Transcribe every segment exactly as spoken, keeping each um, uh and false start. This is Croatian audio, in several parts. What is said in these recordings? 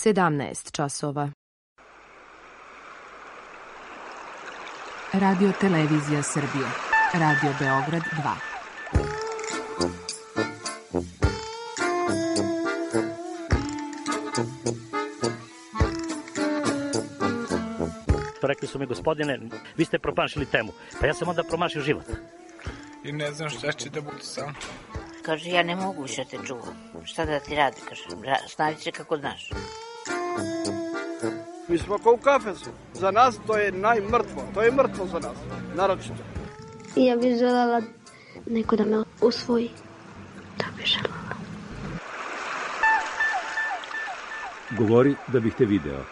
sedamnaest časova. Radio Televizija Srbije. Radio Beograd dva. Rekli su mi, gospodine, vi ste promašili temu. Pa ja sam onda promašio život. I ne znam šta će da bude sam. Kaže, ja ne mogu više te čuvam. Šta da ti radi, kaže, snavi se kako znaš. Mi smo kao u kafesu. Za nas to je najmrtvo. To je mrtvo za nas, naročito. Ja bih željela neko da me usvoji. To bih željela. Govori da bih te video.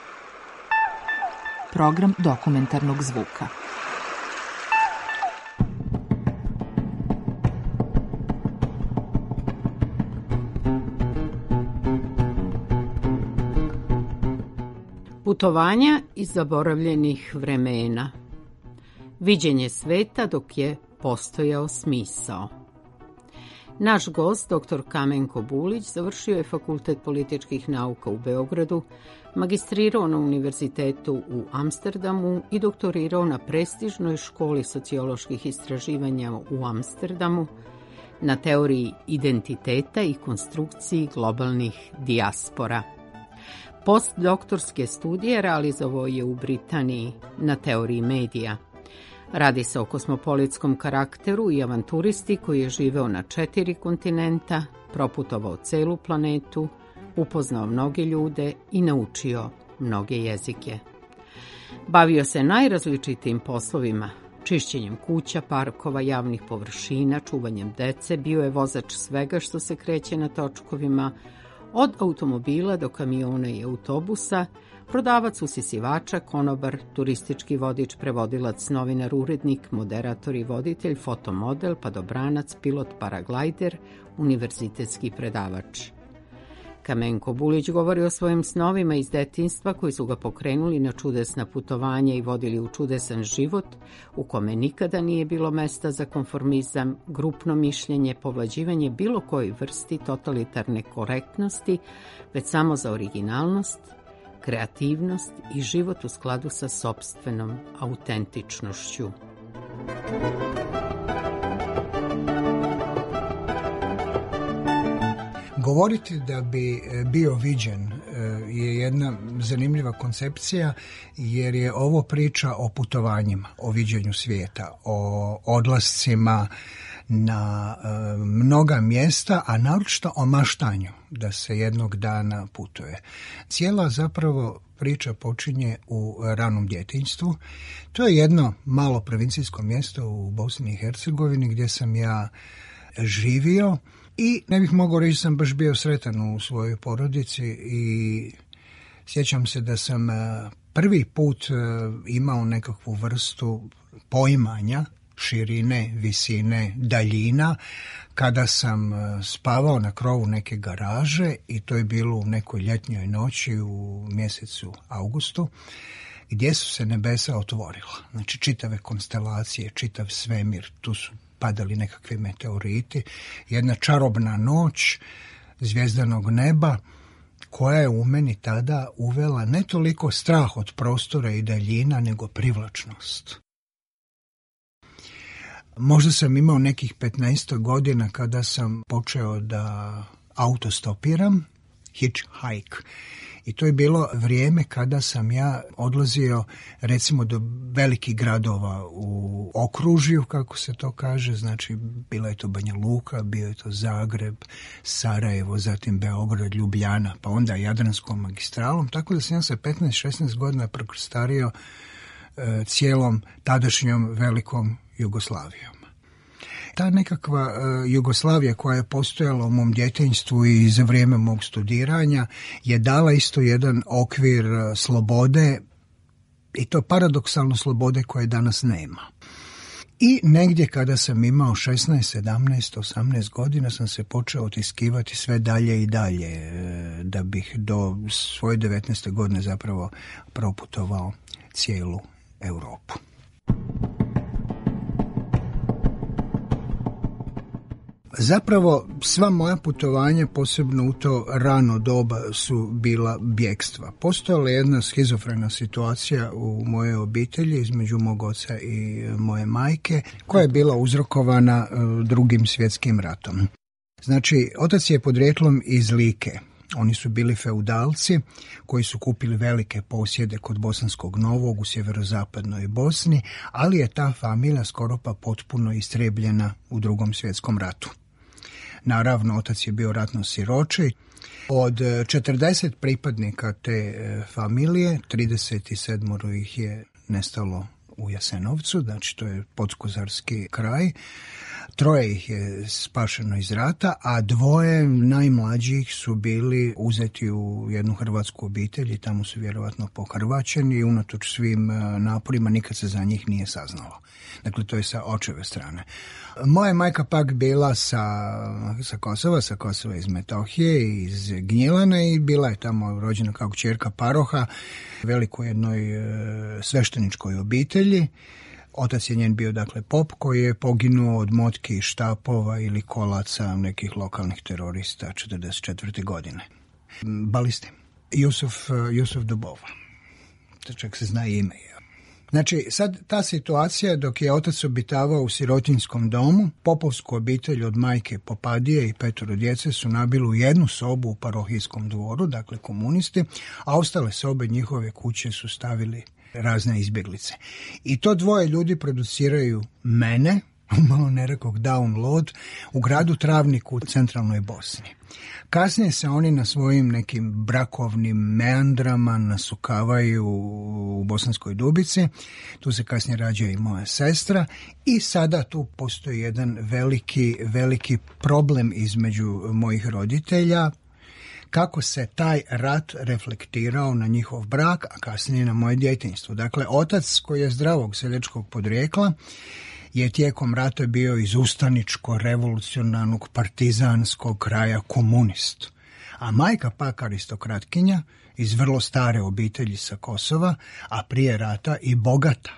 Program dokumentarnog zvuka. Putovanja iz zaboravljenih vremena. Viđenje sveta dok je postojao smisao. Naš gost, doktor Kamenko Bulić, završio je Fakultet političkih nauka u Beogradu, magistrirao na Univerzitetu u Amsterdamu i doktorirao na prestižnoj školi socioloških istraživanja u Amsterdamu na teoriji identiteta i konstrukciji globalnih dijaspora. Postdoktorske studije realizovao je u Britaniji na teoriji medija. Radi se o kosmopolitskom karakteru i avanturisti koji je živeo na četiri kontinenta, proputovao celu planetu, upoznao mnoge ljude i naučio mnoge jezike. Bavio se najrazličitijim poslovima, čišćenjem kuća, parkova, javnih površina, čuvanjem dece, bio je vozač svega što se kreće na točkovima, od automobila do kamiona i autobusa, prodavac usisivača, konobar, turistički vodič, prevodilac, novinar, urednik, moderator i voditelj, fotomodel, padobranac, pilot, paraglajder, univerzitetski predavač. Kamenko Bulić govori o svojim snovima iz detinjstva koji su ga pokrenuli na čudesna putovanja i vodili u čudesan život u kome nikada nije bilo mesta za konformizam, grupno mišljenje, povlađivanje bilo kojoj vrsti totalitarne korektnosti, već samo za originalnost, kreativnost i život u skladu sa sopstvenom autentičnošću. Govoriti da bi bio viđen je jedna zanimljiva koncepcija, jer je ovo priča o putovanjima, o viđenju svijeta, o odlascima na mnoga mjesta, a naročito o maštanju da se jednog dana putuje. Cijela zapravo priča počinje u ranom djetinjstvu. To je jedno malo provincijsko mjesto u Bosni i Hercegovini gdje sam ja živio. I ne bih mogao reći da sam baš bio sretan u svojoj porodici i sjećam se da sam prvi put imao nekakvu vrstu poimanja širine, visine, daljina kada sam spavao na krovu neke garaže i to je bilo u nekoj ljetnjoj noći u mjesecu augustu gdje su se nebesa otvorila. Znači čitave konstelacije, čitav svemir, tu su padali nekakvi meteoriti, jedna čarobna noć zvjezdanog neba koja je u meni tada uvela ne toliko strah od prostora i daljina, nego privlačnost. Možda sam imao nekih petnaest godina kada sam počeo da autostopiram, hitchhike. I to je bilo vrijeme kada sam ja odlazio recimo do velikih gradova u okružju, kako se to kaže, znači bila je to Banja Luka, bio je to Zagreb, Sarajevo, zatim Beograd, Ljubljana, pa onda Jadranskom magistralom, tako da sam ja sa petnaest šesnaest godina prekrstario e, cijelom tadašnjom velikom Jugoslavijom. Ta nekakva uh, Jugoslavija koja je postojala u mom djetinjstvu i za vrijeme mog studiranja je dala isto jedan okvir uh, slobode, i to paradoksalno slobode koje danas nema. I negdje kada sam imao šesnaest, sedamnaest, osamnaest godina sam se počeo otiskivati sve dalje i dalje uh, da bih do svoje devetnaeste godine zapravo proputovao cijelu Europu. Zapravo sva moja putovanja, posebno u to rano doba, su bila bjekstva. Postojala je jedna schizofrena situacija u mojoj obitelji između mog oca i moje majke, koja je bila uzrokovana Drugim svjetskim ratom. Znači, otac je podrijetlom iz Like. Oni su bili feudalci koji su kupili velike posjede kod Bosanskog Novog u sjeverozapadnoj Bosni, ali je ta familija skoro pa potpuno istrebljena u Drugom svjetskom ratu. Naravno, otac je bio ratno siroče. Od četrdeset pripadnika te familije, trideset sedam ih je nestalo u Jasenovcu, znači to je podkozarski kraj. Troje ih je spašeno iz rata, a dvoje najmlađih su bili uzeti u jednu hrvatsku obitelj i tamo su vjerovatno pohrvaćeni i unatoč svim naporima nikad se za njih nije saznalo. Dakle, to je sa očeve strane. Moja majka pak bila sa, sa Kosova, sa Kosova iz Metohije, iz Gnjilane i bila je tamo rođena kao kćerka paroha, velikoj jednoj svešteničkoj obitelji. Otac je njen bio, dakle, pop koji je poginuo od motki, štapova ili kolaca nekih lokalnih terorista četrdeset četvrte godine. Balisti. Jusuf, Jusuf Dubova. Čak se zna ime. Znači, sad ta situacija dok je otac obitavao u sirotinjskom domu, popovsku obitelj od majke Popadije i petoro djece su nabili u jednu sobu u parohijskom dvoru, dakle komunisti, a ostale sobe njihove kuće su stavili razne izbjeglice. I to dvoje ljudi produciraju mene, malo nerekog download, u gradu Travniku u centralnoj Bosni. Kasnije se oni na svojim nekim brakovnim meandrama nasukavaju u Bosanskoj Dubici, tu se kasnije rađa i moja sestra i sada tu postoji jedan veliki, veliki problem između mojih roditelja, kako se taj rat reflektirao na njihov brak, a kasnije na moje djetinjstvo. Dakle, otac koji je zdravog seljačkog podrijekla je tijekom rata bio iz ustaničko-revolucionarnog partizanskog kraja komunist. A majka pak aristokratkinja iz vrlo stare obitelji sa Kosova, a prije rata i bogata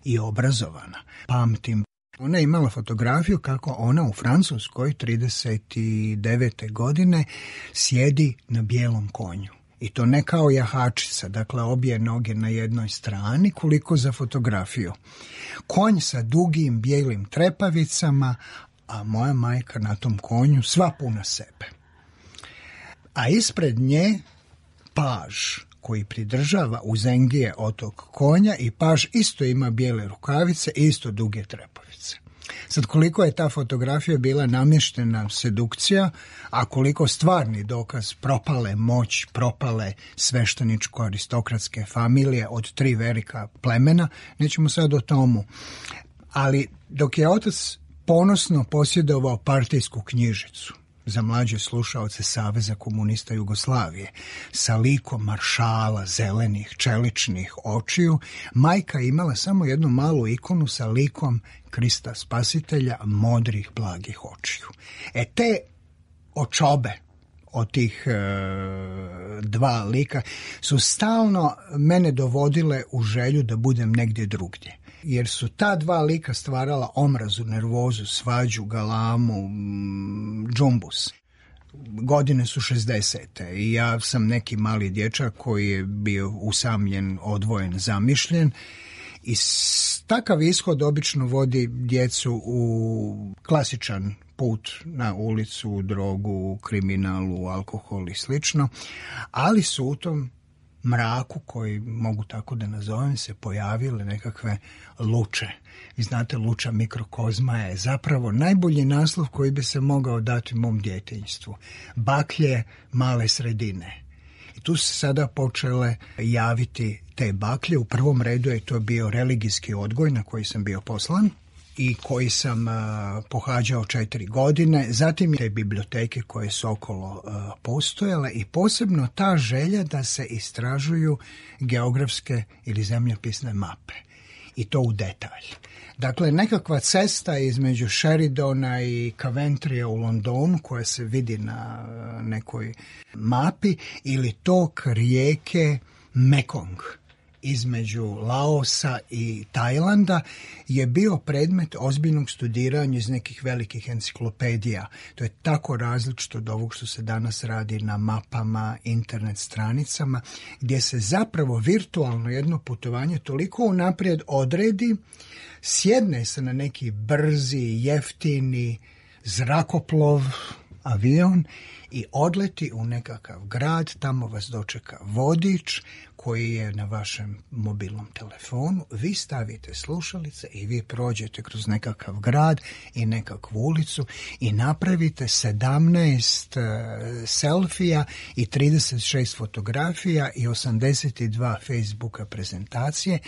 i obrazovana. Pamtim, ona je imala fotografiju kako ona u Francuskoj trideset devete godine sjedi na bijelom konju. I to ne kao jahačica, dakle obje noge na jednoj strani, koliko za fotografiju. Konj sa dugim bijelim trepavicama, a moja majka na tom konju sva puna sebe. A ispred nje paž koji pridržava uzengije od tog konja i paž isto ima bijele rukavice i isto duge trepavice. Sad, koliko je ta fotografija bila namještena sedukcija, a koliko stvarni dokaz propale moć, propale svešteničko-aristokratske familije od tri velika plemena, nećemo sad o tomu. Ali dok je otac ponosno posjedovao partijsku knjižicu za mlađe slušaoce Saveza komunista Jugoslavije, sa likom maršala, zelenih, čeličnih očiju, majka imala samo jednu malu ikonu sa likom Krista Spasitelja, modrih, blagih očiju. E te očobe od tih e, dva lika su stalno mene dovodile u želju da budem negdje drugdje. Jer su ta dva lika stvarala omrazu, nervozu, svađu, galamu, džumbus. Godine su šezdesete i ja sam neki mali dječak koji je bio usamljen, odvojen, zamišljen. I takav ishod obično vodi djecu u klasičan put na ulicu, drogu, kriminalu, alkohol i slično, ali su u tom mraku, koji mogu tako da nazovem, se pojavile nekakve luče. Vi znate, luča mikrokozma je zapravo najbolji naslov koji bi se mogao dati mom djetinjstvu. Baklje male sredine. I tu se sada počele javiti te baklje. U prvom redu je to bio religijski odgoj na koji sam bio poslan i koji sam uh, pohađao četiri godine. Zatim te biblioteke koje su okolo uh, postojale i posebno ta želja da se istražuju geografske ili zemljopisne mape. I to u detalj. Dakle, nekakva cesta između Sheridana i Coventryja u Londonu koja se vidi na nekoj mapi ili tok rijeke Mekong između Laosa i Tajlanda je bio predmet ozbiljnog studiranja iz nekih velikih enciklopedija. To je tako različito od ovog što se danas radi na mapama, internet stranicama, gdje se zapravo virtualno jedno putovanje toliko unaprijed odredi, sjedne se na neki brzi, jeftini zrakoplov, avion i odleti u nekakav grad, tamo vas dočeka vodič koji je na vašem mobilnom telefonu, vi stavite slušalice i vi prođete kroz nekakav grad i nekakvu ulicu i napravite sedamnaest uh, selfija i trideset šest fotografija i osamdeset dva Facebooka prezentacije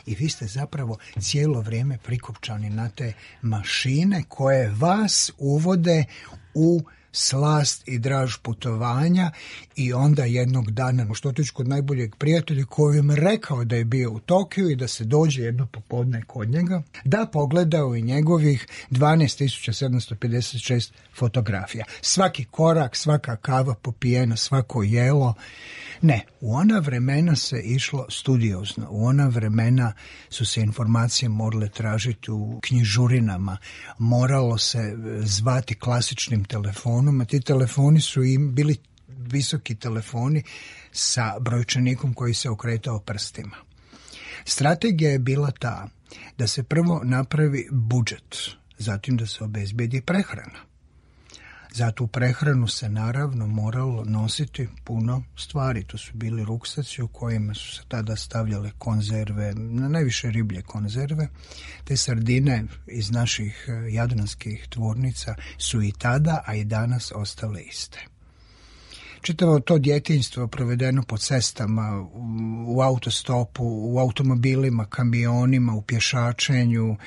i vi ste zapravo cijelo vrijeme prikopčani na te mašine koje vas uvode u slast i draž putovanja i onda jednog dana što otići kod najboljeg prijatelja koji im rekao da je bio u Tokiju i da se dođe jedno popodne kod njega, da pogledao i njegovih dvanaest tisuća sedamsto pedeset šest fotografija. Svaki korak, svaka kava popijena, svako jelo. Ne, u ona vremena se išlo studiozno, u ona vremena su se informacije morale tražiti u knjižurinama, moralo se zvati klasičnim telefonom, a ti telefoni su im bili visoki telefoni sa brojčanikom koji se okretao prstima. Strategija je bila ta da se prvo napravi budžet, zatim da se obezbedi prehrana. Za tu prehranu se naravno moralo nositi puno stvari. To su bili ruksaci u kojima su se tada stavljale konzerve, na najviše riblje konzerve. Te sardine iz naših jadranskih tvornica su i tada, a i danas ostale iste. Čitavo to djetinjstvo provedeno po cestama, u autostopu, u automobilima, kamionima, u pješačenju,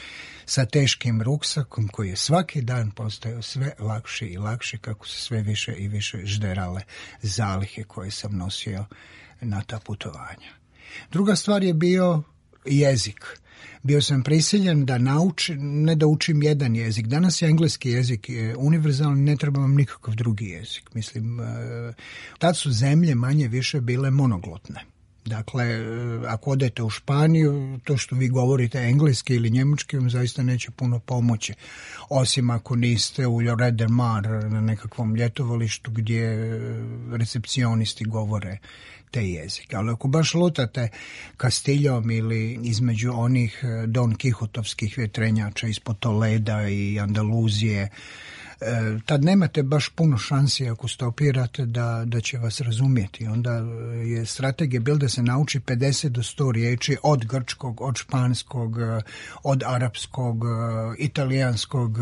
sa teškim ruksakom koji je svaki dan postajao sve lakši i lakši kako se sve više i više žderale zalihe koje sam nosio na ta putovanja. Druga stvar je bio jezik. Bio sam prisiljen da naučim, ne da učim jedan jezik. Danas je engleski jezik univerzalni, ne treba vam nikakav drugi jezik. Mislim, tad su zemlje manje više bile monoglotne. Dakle, ako odete u Španiju, to što vi govorite engleski ili njemački vam zaista neće puno pomoći. Osim ako niste u Lloret de Mar na nekakvom ljetovalištu gdje recepcionisti govore te jezike. Ali ako baš lutate Kastiljom ili između onih Don Kihotovskih vjetrenjača ispod Toleda i Andaluzije, tad nemate baš puno šansi ako stopirate da, da će vas razumjeti. Onda je strategija bila da se nauči pedeset do sto riječi od grčkog, od španskog, od arapskog, italijanskog,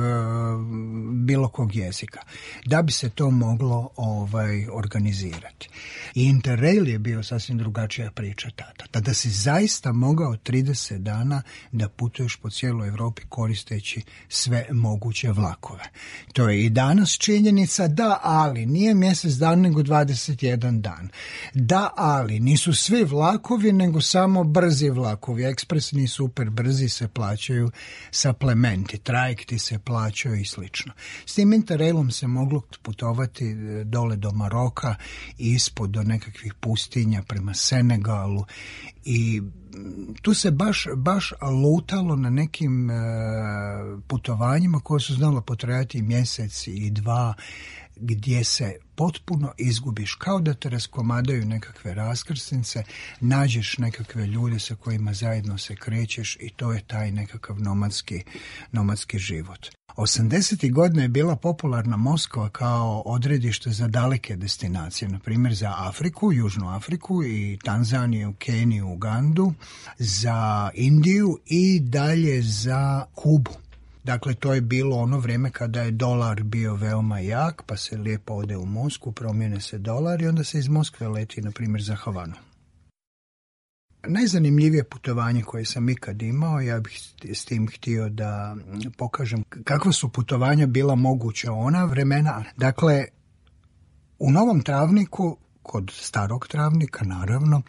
bilo kog jezika. Da bi se to moglo ovaj, organizirati. I Interrail je bio sasvim drugačija priča tada. Tada si zaista mogao trideset dana da putuješ po cijeloj Europi koristeći sve moguće vlakove. To je i danas činjenica, da, ali nije mjesec dan nego dvadeset jedan dan. Da, ali nisu svi vlakovi nego samo brzi vlakovi. Ekspresni super brzi se plaćaju suplementi, trajekti se plaćaju i slično. S tim Interrailom se moglo putovati dole do Maroka i ispod do nekakvih pustinja prema Senegalu i tu se baš, baš lutalo na nekim e, putovanjima koje su znalo potrajati mjesec i dva, gdje se potpuno izgubiš, kao da te raskomadaju nekakve raskrsnice, nađeš nekakve ljude sa kojima zajedno se krećeš i to je taj nekakav nomadski, nomadski život. osamdesetih godina je bila popularna Moskva kao odredište za daleke destinacije, na primjer za Afriku, Južnu Afriku i Tanzaniju, Keniju, Ugandu, za Indiju i dalje za Kubu. Dakle, to je bilo ono vrijeme kada je dolar bio veoma jak, pa se lijepo ode u Moskvu, promijene se dolar i onda se iz Moskve leti, na primjer, za Havanu. Najzanimljivije putovanje koje sam ikad imao, ja bih s tim htio da pokažem kakva su putovanja bila moguća ona vremena. Dakle, u Novom Travniku, kod starog Travnika naravno,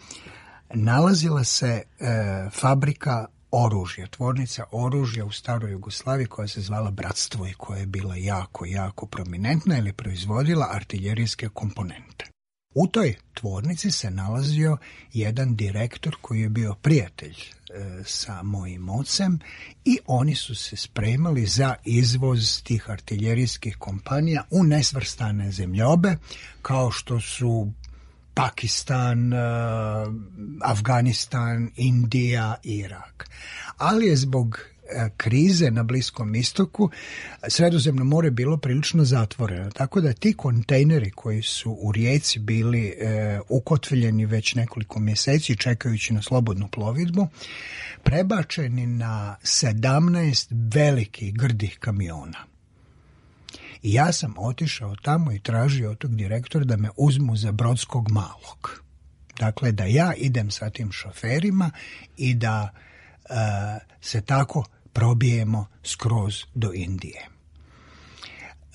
nalazila se e, fabrika oružja, tvornica oružja u staroj Jugoslaviji koja se zvala Bratstvo i koja je bila jako, jako prominentna ili proizvodila artiljerijske komponente. U toj tvornici se nalazio jedan direktor koji je bio prijatelj e, sa mojim ocem i oni su se spremali za izvoz tih artiljerijskih kompanija u nesvrstane zemljobe kao što su Pakistan, e, Afganistan, Indija, Irak. Ali je zbog krize na Bliskom istoku Sredozemno more bilo prilično zatvoreno, tako da ti kontejneri koji su u rijeci bili e, ukotveljeni već nekoliko mjeseci čekajući na slobodnu plovidbu, prebačeni na sedamnaest velikih grdih kamiona. I ja sam otišao tamo i tražio od tog direktora da me uzmu za brodskog malog. Dakle, da ja idem sa tim šoferima i da e, se tako probijemo skroz do Indije.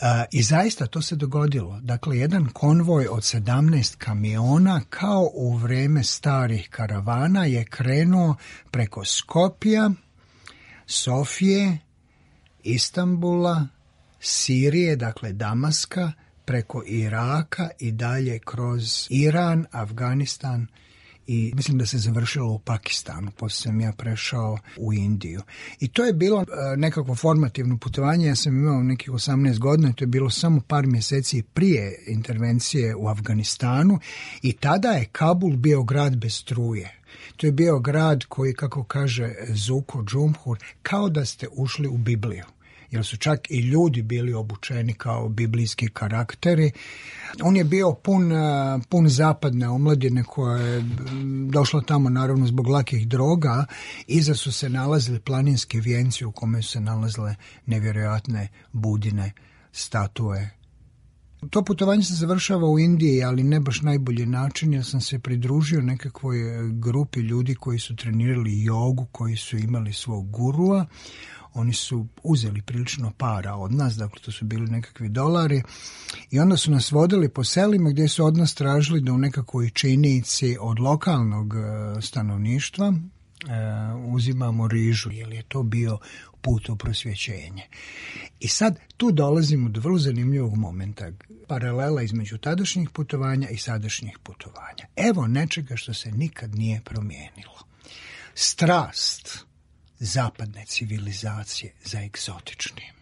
E, I zaista to se dogodilo. Dakle, jedan konvoj od sedamnaest kamiona, kao u vrijeme starih karavana, je krenuo preko Skopja, Sofije, Istanbula, Sirije, dakle Damaska, preko Iraka i dalje kroz Iran, Afganistan i mislim da se završilo u Pakistanu, poslije sam ja prešao u Indiju. I to je bilo nekakvo formativno putovanje, ja sam imao nekih osamnaest godina, to je bilo samo par mjeseci prije intervencije u Afganistanu i tada je Kabul bio grad bez struje. To je bio grad koji, kako kaže Zuko Džumhur, kao da ste ušli u Bibliju. Jer su čak i ljudi bili obučeni kao biblijski karakteri. On je bio pun, pun zapadne omladine koja je došla tamo naravno zbog lakih droga. Iza su se nalazili planinski vijenci u kome su se nalazile nevjerojatne budine, statue. To putovanje se završava u Indiji, ali ne baš najbolji način. Ja sam se pridružio nekakvoj grupi ljudi koji su trenirali jogu, koji su imali svog gurua. Oni su uzeli prilično para od nas, dakle to su bili nekakvi dolari i onda su nas vodili po selima gdje su od nas tražili da u nekakvoj činici od lokalnog stanovništva e, uzimamo rižu, jer je to bio put u prosvjećenje. I sad tu dolazimo do vrlo zanimljivog momenta, paralela između tadašnjih putovanja i sadašnjih putovanja. Evo nečega što se nikad nije promijenilo. Strast zapadne civilizacije za egzotičnim.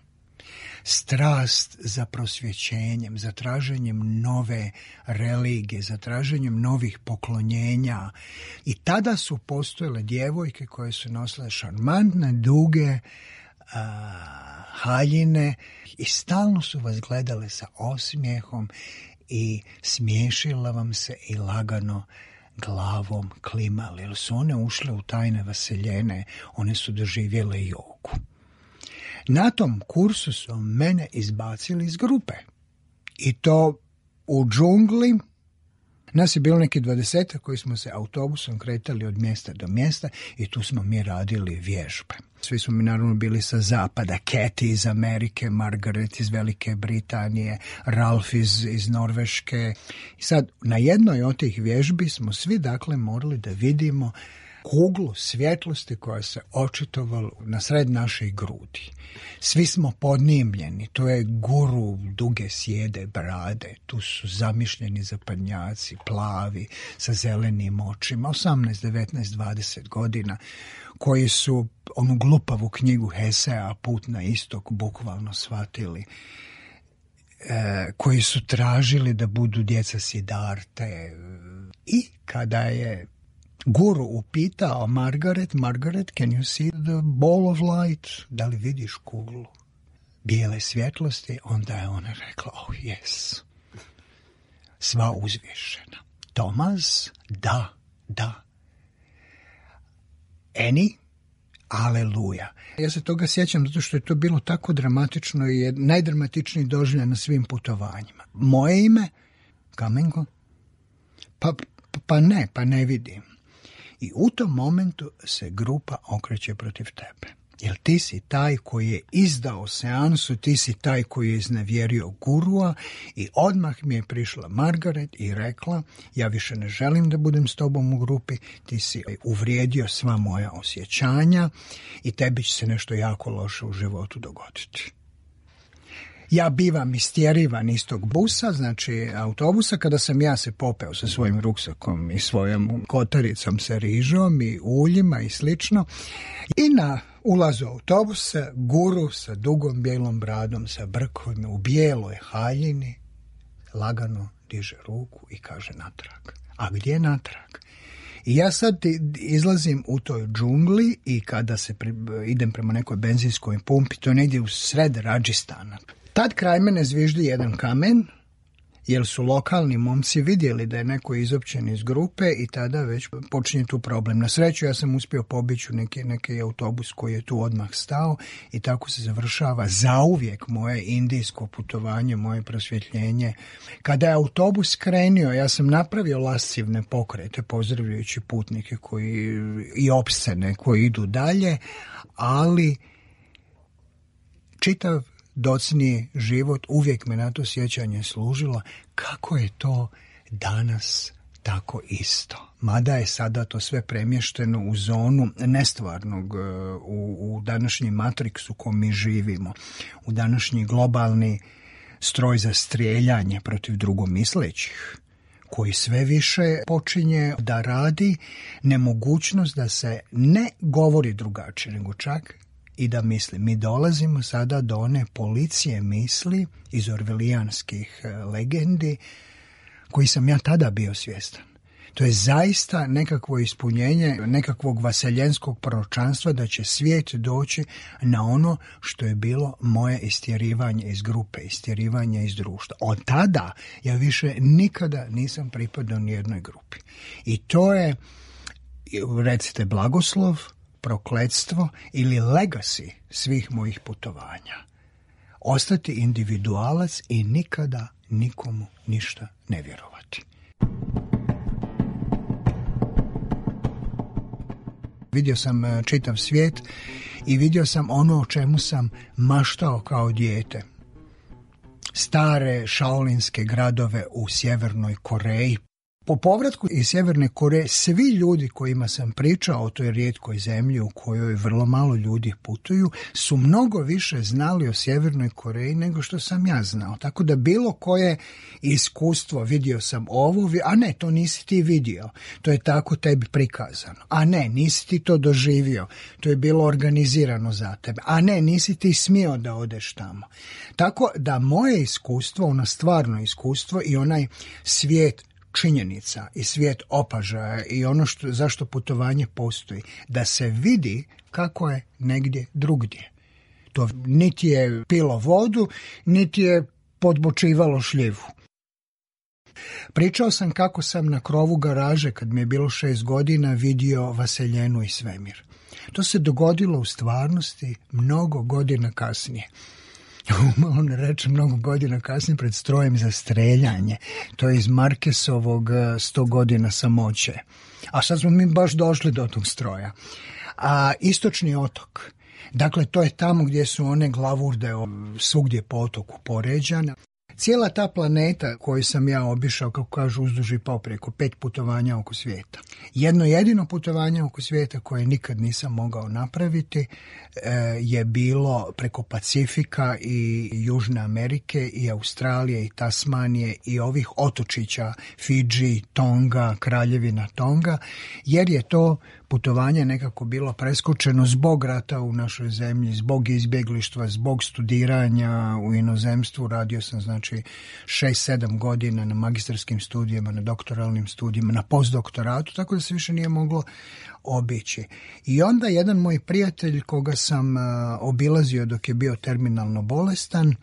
Strast za prosvjećenjem, za traženjem nove religije, za traženjem novih poklonjenja. I tada su postojale djevojke koje su nosile šarmantne, duge a, haljine i stalno su vas gledale sa osmijehom i smiješila vam se i lagano glavom klimali, jer su one ušle u tajne vaseljene, one su doživjele jogu. Na tom kursu su mene izbacili iz grupe. I to u džungli. Nas je bilo neki dvadesetak koji smo se autobusom kretali od mjesta do mjesta i tu smo mi radili vježbe. Svi smo mi naravno bili sa zapada, Katie iz Amerike, Margaret iz Velike Britanije, Ralf iz, iz Norveške. I sad na jednoj od tih vježbi smo svi dakle morali da vidimo kuglu svjetlosti koja se očitovala na sred naših grudi. Svi smo podnimljeni, to je guru duge sjede brade, tu su zamišljeni zapadnjaci, plavi, sa zelenim očima, osamnaest, devetnaest, dvadeset godina, koji su onu glupavu knjigu Hesea Put na istok bukvalno shvatili, e, koji su tražili da budu djeca Sidarte. I kada je guru upitao Margaret, Margaret, can you see the ball of light? Da li vidiš kuglu bijele svjetlosti? Onda je ona rekla, oh yes. Sva uzvišena. Tomas, da, da. Eni, aleluja. Ja se toga sjećam zato što je to bilo tako dramatično i je najdramatičniji doživljaj na svim putovanjima. Moje ime? Kamenko? Pa, pa ne, pa ne vidim. I u tom momentu se grupa okreće protiv tebe. Jer ti si taj koji je izdao seansu, ti si taj koji je iznevjerio gurua i odmah mi je prišla Margaret i rekla, ja više ne želim da budem s tobom u grupi, ti si uvrijedio sva moja osjećanja i tebi će se nešto jako loše u životu dogoditi. Ja bivam istjerivan iz tog busa, znači autobusa, kada sam ja se popeo sa svojim ruksakom i svojom kotaricom sa rižom i uljima i slično. I na ulazu autobusa guru sa dugom bijelom bradom, sa brkovima, u bijeloj haljini, lagano diže ruku i kaže natrag. A gdje je natrag? I ja sad izlazim u toj džungli i kada se pri, idem prema nekoj benzinskoj pumpi, to je negdje u sred Radžistana. Tad kraj mene zviždi jedan kamen, jer su lokalni momci vidjeli da je neko izopćen iz grupe i tada već počinje tu problem. Na sreću ja sam uspio pobići u neki, neki autobus koji je tu odmah stao i tako se završava zauvijek moje indijsko putovanje, moje prosvjetljenje. Kada je autobus krenio, ja sam napravio lascivne pokrete pozdravljajući putnike koji, i opscene koji idu dalje, ali čitav docniji život uvijek me na to sjećanje služilo kako je to danas tako isto. Mada je sada to sve premješteno u zonu nestvarnog, u, u današnji matriksu ko mi živimo, u današnji globalni stroj za strijeljanje protiv drugomislećih, koji sve više počinje da radi nemogućnost da se ne govori drugačije, nego čak i da misli. Mi dolazimo sada do one policije misli iz orvelijanskih legendi koji sam ja tada bio svjestan. To je zaista nekakvo ispunjenje nekakvog vaseljenskog proročanstva da će svijet doći na ono što je bilo moje istjerivanje iz grupe, istjerivanje iz društva. Od tada ja više nikada nisam pripadao nijednoj grupi. I to je, recite, blagoslov, prokletstvo ili legacy svih mojih putovanja. Ostati individualac i nikada nikomu ništa ne vjerovati. Vidio sam čitav svijet i vidio sam ono o čemu sam maštao kao dijete. Stare šaolinske gradove u Sjevernoj Koreji. Po povratku iz Sjeverne Koreje, svi ljudi kojima sam pričao o toj rijetkoj zemlji u kojoj vrlo malo ljudi putuju, su mnogo više znali o Sjevernoj Koreji nego što sam ja znao. Tako da bilo koje iskustvo, vidio sam ovo, a ne, to nisi ti vidio, to je tako tebi prikazano. A ne, nisi ti to doživio, to je bilo organizirano za tebe. A ne, nisi ti smio da odeš tamo. Tako da moje iskustvo, ono stvarno iskustvo i onaj svijet činjenica i svijet opažaja i ono što, zašto putovanje postoji, da se vidi kako je negdje drugdje. To niti je pilo vodu, niti je podbočivalo šljivu. Pričao sam kako sam na krovu garaže, kad mi je bilo šest godina, vidio vaseljenu i svemir. To se dogodilo u stvarnosti mnogo godina kasnije. On reče mnogo godina kasnije pred strojem za streljanje. To je iz Markesovog sto godina samoće. A sad smo mi baš došli do tog stroja. A istočni otok. Dakle, to je tamo gdje su one glavurde svugdje po otoku poređane. Cijela ta planeta koju sam ja obišao, kako kažu, uzduž i popreko, pet putovanja oko svijeta. Jedno jedino putovanje oko svijeta koje nikad nisam mogao napraviti je bilo preko Pacifika i Južne Amerike i Australije i Tasmanije i ovih otočića Fidži, Tonga, Kraljevina Tonga, jer je to putovanje nekako bilo preskočeno zbog rata u našoj zemlji, zbog izbjeglištva, zbog studiranja u inozemstvu. Radio sam znači šest sedam godina na magistarskim studijima, na doktoralnim studijima, na postdoktoratu, tako da se više nije moglo obići. I onda jedan moj prijatelj koga sam uh, obilazio dok je bio terminalno bolestan uh,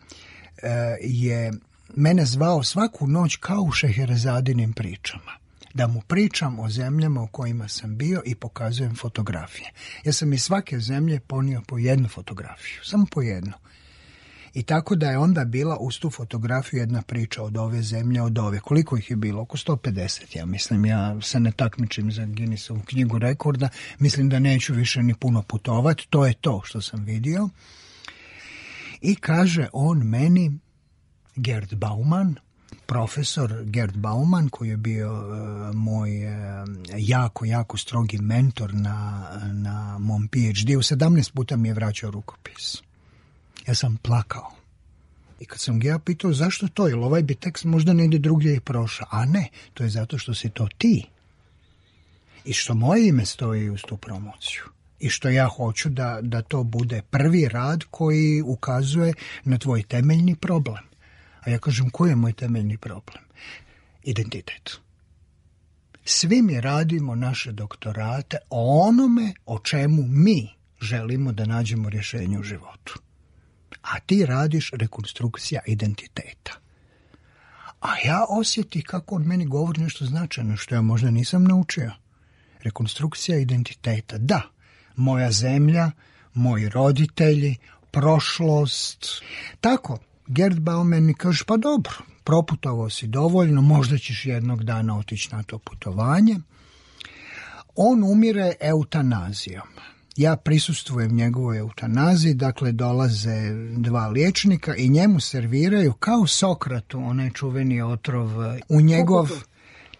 je mene zvao svaku noć kao u Šeherezadinim pričama, da mu pričam o zemljama u kojima sam bio i pokazujem fotografije. Ja sam iz svake zemlje ponio po jednu fotografiju, samo po jednu. I tako da je onda bila uz tu fotografiju jedna priča od ove zemlje, od ove. Koliko ih je bilo? Oko sto pedeset, ja mislim. Ja se ne takmičim za Guinnessovu knjigu rekorda. Mislim da neću više ni puno putovati. To je to što sam vidio. I kaže on meni, Gerd Bauman, profesor Gerd Bauman, koji je bio uh, moj uh, jako, jako strogi mentor na, na mom P H D-u, sedamnaest puta mi je vraćao rukopis. Ja sam plakao. I kad sam ga ja pitao zašto to, jer ovaj bi tekst možda negdje drugdje i prošao. A ne, to je zato što si to ti. I što moje ime stoji uz tu promociju. I što ja hoću da, da to bude prvi rad koji ukazuje na tvoj temeljni problem. A ja kažem, koji je moj temeljni problem? Identitet. Svi mi radimo naše doktorate o onome o čemu mi želimo da nađemo rješenje u životu. A ti radiš rekonstrukcija identiteta. A ja osjeti kako on meni govori nešto značajno što ja možda nisam naučio. Rekonstrukcija identiteta, da. Moja zemlja, moji roditelji, prošlost. Tako, Gerd Bauman mi kaže, pa dobro, proputovao si dovoljno, možda ćeš jednog dana otići na to putovanje. On umire eutanazijom. Ja prisustvujem njegovoj eutanaziji, dakle dolaze dva liječnika i njemu serviraju kao Sokratu, onaj čuveni otrov u njegov...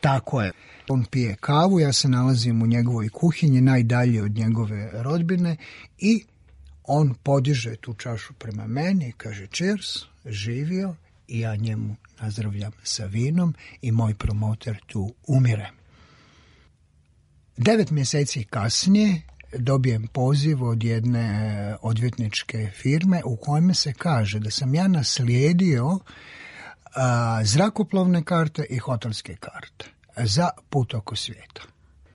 Tako je. On pije kavu, ja se nalazim u njegovoj kuhinji, najdalje od njegove rodbine i on podiže tu čašu prema meni i kaže cheers, živio, i ja njemu nazdravljam sa vinom i moj promoter tu umire. Devet mjeseci kasnije dobijem poziv od jedne odvjetničke firme u kojem se kaže da sam ja naslijedio a, zrakoplovne karte i hotelske karte za put oko svijeta.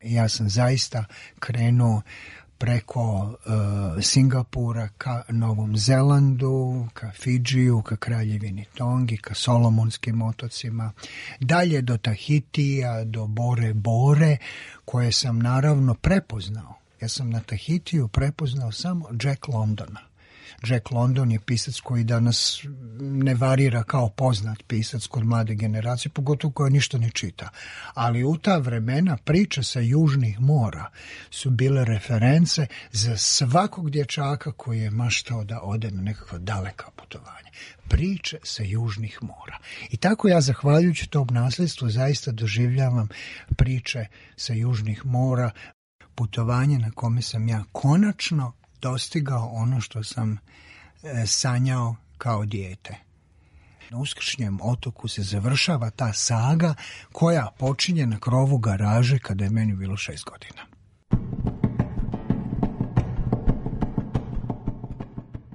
Ja sam zaista krenuo preko uh, Singapura ka Novom Zelandu, ka Fidžiju, ka Kraljevini Tongi, ka Solomonskim otocima, dalje do Tahitija, do Bore Bore, koje sam naravno prepoznao. Ja sam na Tahitiju prepoznao samo Jack Londona. Jack London je pisac koji danas ne varira kao poznat pisac kod mlade generacije, pogotovo koja ništa ne čita. Ali u ta vremena priče sa južnih mora su bile reference za svakog dječaka koji je maštao da ode na nekakva daleka putovanja. Priče sa južnih mora. I tako ja, zahvaljujući tom nasljedstvu, zaista doživljavam priče sa južnih mora, putovanje na kome sam ja konačno dostigao ono što sam e, sanjao kao dijete. Na Uskršnjem otoku se završava ta saga koja počinje na krovu garaže kada je meni bilo šest godina.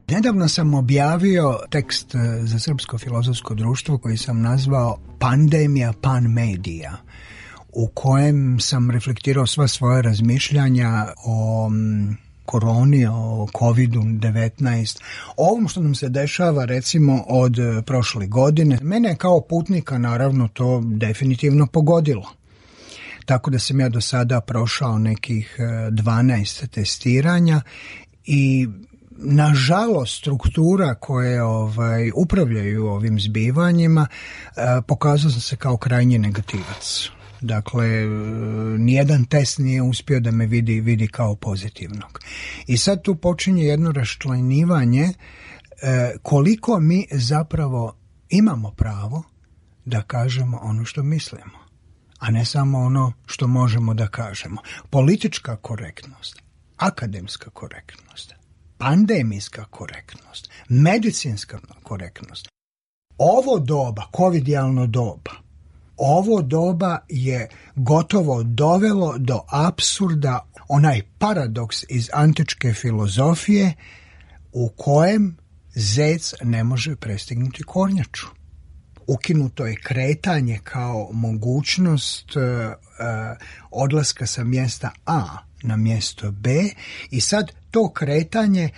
Nedavno sam objavio tekst za Srpsko filozofsko društvo koji sam nazvao Pandemija Panmedija, u kojem sam reflektirao sva svoja razmišljanja o koroni, o kovidu devetnaest, o ovom što nam se dešava recimo od prošle godine. Mene je kao putnika naravno to definitivno pogodilo. Tako da sam ja do sada prošao nekih dvanaest testiranja i nažalost struktura koje ovaj, upravljaju ovim zbivanjima pokazao sam se kao krajnji negativac. Dakle, nijedan test nije uspio da me vidi, vidi kao pozitivnog. I sad tu počinje jedno raščlanjivanje e, koliko mi zapravo imamo pravo da kažemo ono što mislimo, a ne samo ono što možemo da kažemo. Politička korektnost, akademska korektnost, pandemijska korektnost, medicinska korektnost. Ovo doba, covidijalno doba, ovo doba je gotovo dovelo do apsurda, onaj paradoks iz antičke filozofije u kojem zec ne može prestignuti kornjaču. Ukinuto je kretanje kao mogućnost uh, uh, odlaska sa mjesta A na mjesto B i sad to kretanje,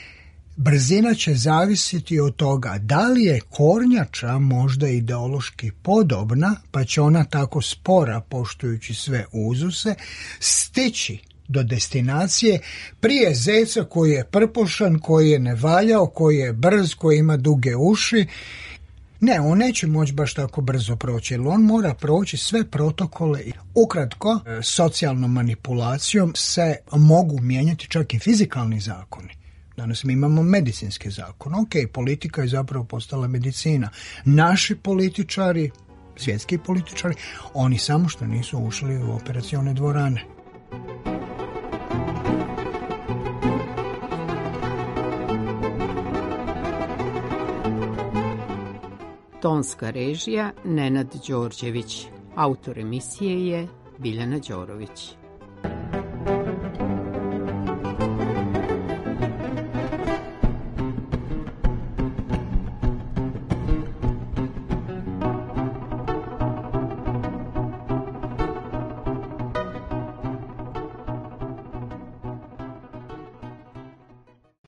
brzina će zavisiti od toga da li je kornjača možda ideološki podobna, pa će ona tako spora, poštujući sve uzuse, stići do destinacije prije zeca koji je prpošan, koji je nevaljao, koji je brz, koji ima duge uši. Ne, on neće moći baš tako brzo proći, jer on mora proći sve protokole. Ukratko, socijalnom manipulacijom se mogu mijenjati čak i fizikalni zakoni. Danas mi imamo medicinske zakone. Ok, politika je zapravo postala medicina. Naši političari, svjetski političari, oni samo što nisu ušli u operacione dvorane. Tonska režija Nenad Đorđević. Autor emisije je Biljana Đorović.